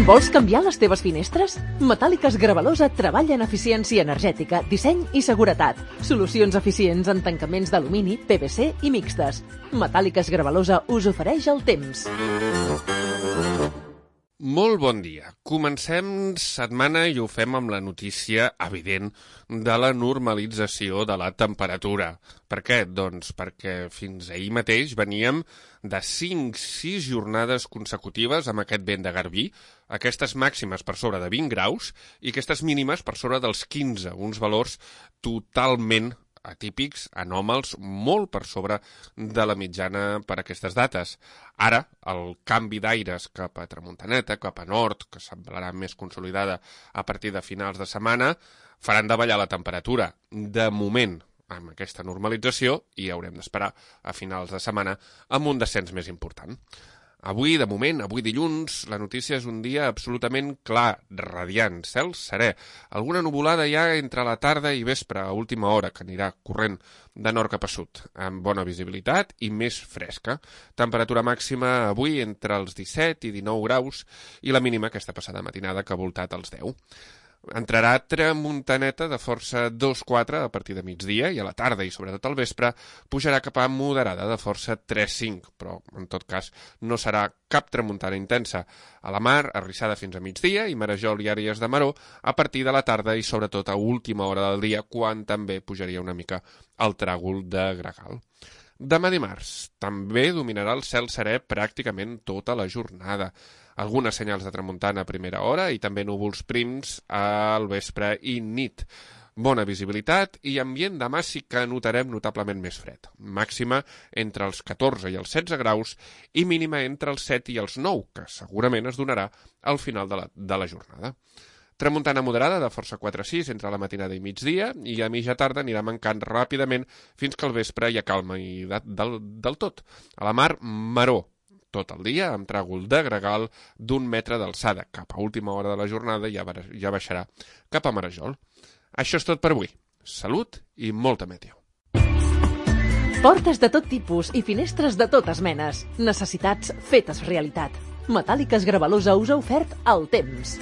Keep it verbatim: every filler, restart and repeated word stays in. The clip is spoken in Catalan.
Vols canviar les teves finestres? Metàl·liques Gravalosa treballa en eficiència energètica, disseny i seguretat. Solucions eficients en tancaments d'alumini, P V C i mixtes. Metàl·liques Gravalosa us ofereix el temps. Molt bon dia. Comencem setmana i ho fem amb la notícia evident de la normalització de la temperatura. Per què? Doncs perquè fins ahir mateix veníem de cinc sis jornades consecutives amb aquest vent de garbí, aquestes màximes per sobre de vint graus i aquestes mínimes per sobre dels quinze, uns valors totalment atípics, anòmals, molt per sobre de la mitjana per aquestes dates. Ara, el canvi d'aires cap a tramuntaneta, cap a nord, que semblarà més consolidada a partir de finals de setmana, faran davallar la temperatura. De moment, amb aquesta normalització, i haurem d'esperar a finals de setmana amb un descens més important. Avui, de moment, avui dilluns, la notícia és un dia absolutament clar, radiant, cel serè. Alguna nuvolada ja entre la tarda i vespre, a última hora, que anirà corrent de nord cap a sud, amb bona visibilitat i més fresca. Temperatura màxima avui entre els disset i dinou graus i la mínima aquesta passada matinada que ha voltat als deu. Entrarà tramuntaneta de força dos quatre a partir de migdia i a la tarda i sobretot al vespre pujarà cap a moderada de força tres cinc, però en tot cas no serà cap tramuntana intensa. A la mar, arrissada fins a migdia i marejol i àrees de maror a partir de la tarda i sobretot a última hora del dia quan també pujaria una mica el tràgol de gregal. Demà dimarts també dominarà el cel serè pràcticament tota la jornada. Algunes senyals de tramuntana a primera hora i també núvols prims al vespre i nit. Bona visibilitat i ambient demà sí que notarem notablement més fred. Màxima entre els catorze i els setze graus i mínima entre els set i els nou, que segurament es donarà al final de la, de la jornada. Tramuntana moderada de força quatre sis entre la matinada i migdia i a mitja tarda anirà mancant ràpidament fins que al vespre hi ha calma i de, del, del tot. A la mar, maror tot el dia amb tràgol de gregal d'un metre d'alçada. Cap a última hora de la jornada ja, ja baixarà cap a marejol. Això és tot per avui. Salut i molta meteo. Portes de tot tipus i finestres de totes menes. Necessitats fetes realitat. Metàl·liques Gravalosa us ha ofert el temps.